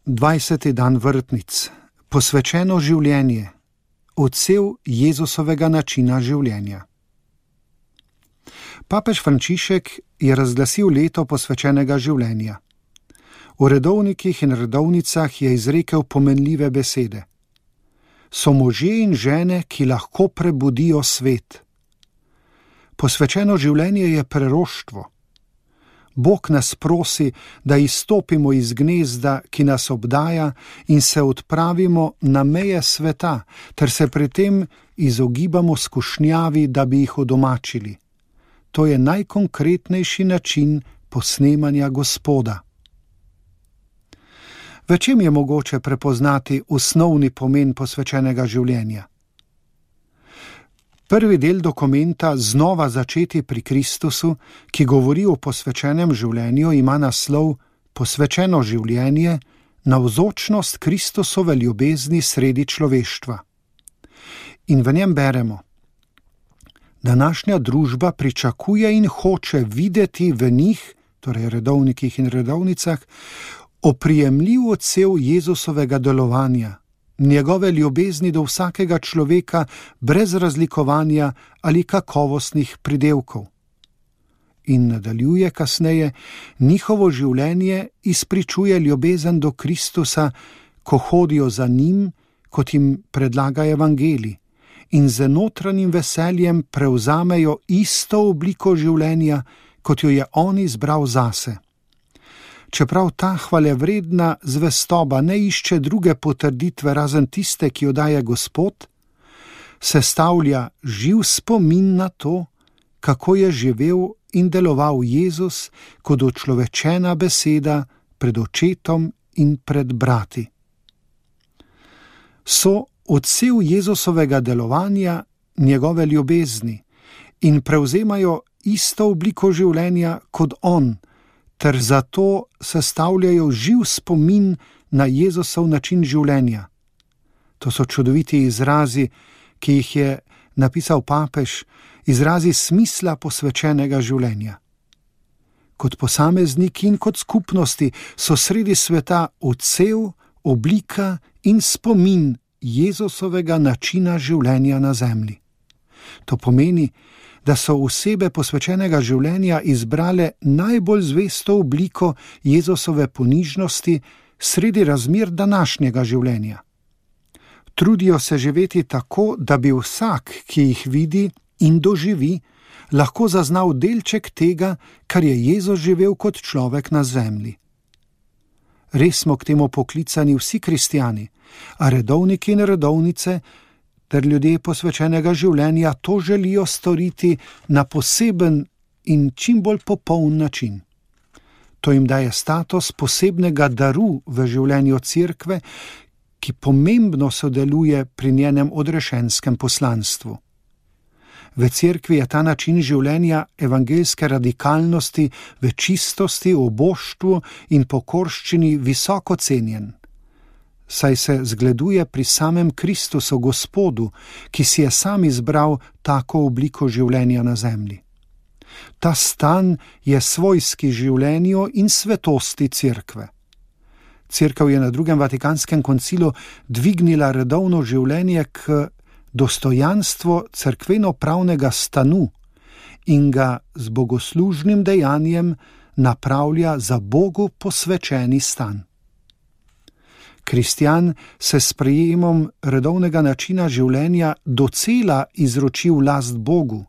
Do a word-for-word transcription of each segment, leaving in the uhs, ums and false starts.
dvajseti dan vrtnic, posvečeno življenje, odsev Jezusovega načina življenja. Papež Frančišek je razglasil leto posvečenega življenja. V redovnikih in redovnicah je izrekel pomenljive besede. So možje in žene, ki lahko prebudijo svet. Posvečeno življenje je preroštvo. Bog nas prosi, da izstopimo iz gnezda, ki nas obdaja, in se odpravimo na meje sveta, ter se pri tem izogibamo skušnjavi, da bi jih udomačili. To je najkonkretnejši način posnemanja Gospoda. V čem je mogoče prepoznati osnovni pomen posvečenega življenja? Prvi del dokumenta Znova začeti pri Kristusu, ki govori o posvečenem življenju, ima naslov Posvečeno življenje, navzočnost Kristusove ljubezni sredi človeštva. In v njem beremo: Današnja družba pričakuje in hoče videti v njih, torej redovnikih in redovnicah, oprijemljiv odsev Jezusovega delovanja, njegove ljubezni do vsakega človeka brez razlikovanja ali kakovostnih pridevkov. In nadaljuje kasneje: njihovo življenje izpričuje ljubezen do Kristusa, ko hodijo za njim, kot jim predlaga evangelij, in z notranjim veseljem prevzamejo isto obliko življenja, kot jo je on izbral zase. Čeprav ta hvalevredna zvestoba ne išče druge potrditve razen tiste, ki jo daje Gospod, sestavlja živ spomin na to, kako je živel in deloval Jezus kot učlovečena beseda pred očetom in pred brati. So odsev Jezusovega delovanja, njegove ljubezni, in prevzemajo isto obliko življenja kot on, ter zato sestavljajo živ spomin na Jezusov način življenja. To so čudoviti izrazi, ki jih je napisal papež, izrazi smisla posvečenega življenja. Kot posamezniki in kot skupnosti so sredi sveta odsev, oblika in spomin Jezusovega načina življenja na zemlji. To pomeni, da so osebe posvečenega življenja izbrale najbolj zvesto obliko Jezusove ponižnosti sredi razmer današnjega življenja. Trudijo se živeti tako, da bi vsak, ki jih vidi in doživi, lahko zaznal delček tega, kar je Jezus živel kot človek na zemlji. Res smo k temu poklicani vsi kristjani, a redovniki in redovnice ter ljudje posvečenega življenja to želijo storiti na poseben in čim bolj popoln način. To jim daje status posebnega daru v življenju cerkve, ki pomembno sodeluje pri njenem odrešenskem poslanstvu. V cerkvi je ta način življenja evangeljske radikalnosti, v čistosti, oboštvu in pokorščini visoko cenjen, saj se zgleduje pri samem Kristusu Gospodu, ki si je sam izbral tako obliko življenja na zemlji. Ta stan je svojski življenju in svetosti cerkve. Cerkev je na drugem Vatikanskem koncilu dvignila redovno življenje k dostojanstvo cerkveno-pravnega stanu in ga z bogoslužnim dejanjem napravlja za Bogu posvečeni stan. Kristjan se s sprejemom redovnega načina življenja docela izroči v last Bogu,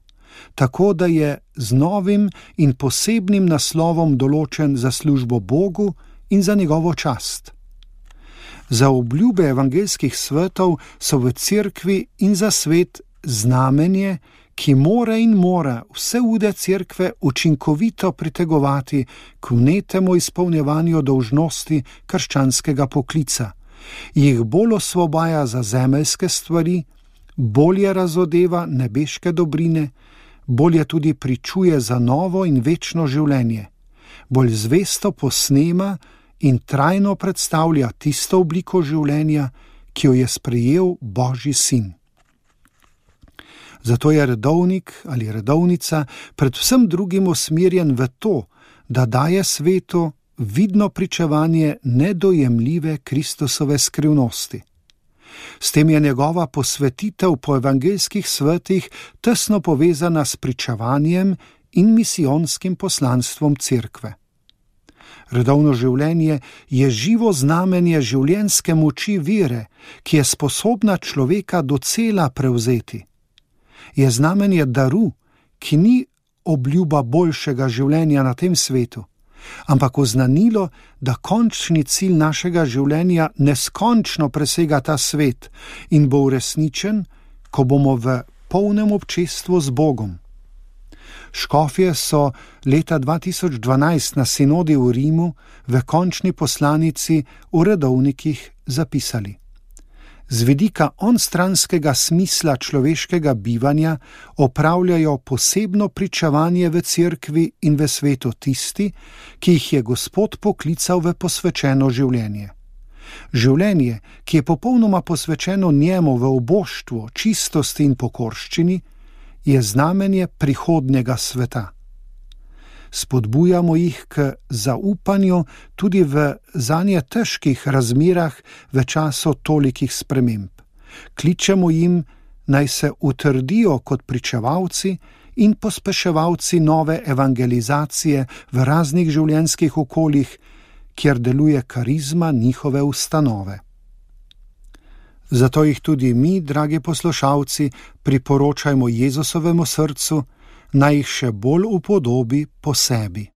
tako da je z novim in posebnim naslovom določen za službo Bogu in za njegovo čast. Za obljube evangeljskih svetov so v cerkvi in za svet znamenje, ki mora in mora vse ude cerkve učinkovito pritegovati k vnetemu izpolnjevanju dolžnosti krščanskega poklica, jih bolj osvobaja za zemeljske stvari, bolje razodeva nebeške dobrine, bolje tudi pričuje za novo in večno življenje, bolj zvesto posnema in trajno predstavlja tisto obliko življenja, ki jo je sprejel Božji sin. Zato je redovnik ali redovnica predvsem drugim usmerjen v to, da daje svetu vidno pričevanje nedojemljive Kristusove skrivnosti. S tem je njegova posvetitev po evangeljskih svetih tesno povezana s pričevanjem in misijonskim poslanstvom cerkve. Redovno življenje je živo znamenje življenjske moči vere, ki je sposobna človeka docela prevzeti. Je znamenje daru, ki ni obljuba boljšega življenja na tem svetu, ampak oznanilo, da končni cilj našega življenja neskončno presega ta svet in bo uresničen, ko bomo v polnem občestvu z Bogom. Škofje so leta dva tisoč dvanajst na sinodi v Rimu v končni poslanici v redovnikih zapisali: Z vidika onstranskega smisla človeškega bivanja opravljajo posebno pričevanje v cerkvi in v svetu tisti, ki jih je Gospod poklical v posvečeno življenje. Življenje, ki je popolnoma posvečeno njemu v uboštvu, čistosti in pokorščini, je znamenje prihodnjega sveta. Spodbujamo jih k zaupanju tudi v zanje težkih razmerah v času tolikih sprememb. Kličemo jim, naj se utrdijo kot pričevalci in pospeševalci nove evangelizacije v raznih življenjskih okoljih, kjer deluje karizma njihove ustanove. Zato jih tudi mi, dragi poslušalci, priporočajmo Jezusovemu srcu, naj jih še bolj upodobi po sebi.